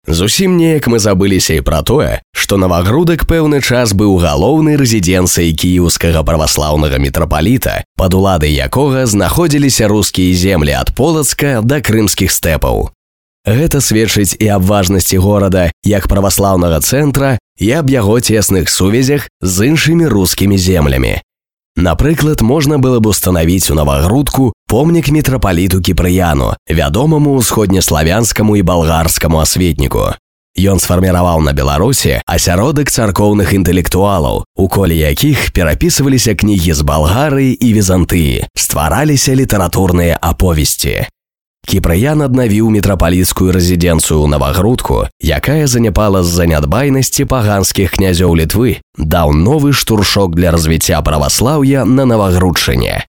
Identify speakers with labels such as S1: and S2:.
S1: Зусім неяк мы забыліся і пра тое, што Навагрудак пэўны час быў галоўнай рэзідэнцыяй кіеўскага праваслаўнага мітрапаліта, пад уладай якога знаходзіліся рускія землі ад Полацка да крымскіх стэпаў. Гэта сведчыць і аб важнасці горада як праваслаўнага цэнтра і аб яго цесных сувязях з іншымі рускімі землямі. Напрыклад, можна было б устанавіць у Навагрудку помнік мітрапаліту Кіпрыяну, вядомаму ўсходнеславянскаму і балгарскаму асветніку. Ён сфарміраваў на Беларусі асяродак царкоўных інтэлектуалаў, у коле якіх перапісваліся кнігі з Балгарыі і Візантыі, ствараліся літаратурныя аповесці. Кіпрыян аднавіў мітрапаліцкую рэзідэнцыю ў Навагрудку, якая заняпала з-за нядбайнасці паганскіх князёў Літвы, даў новы штуршок для развіцця праваслаўя на Навагрудчыне.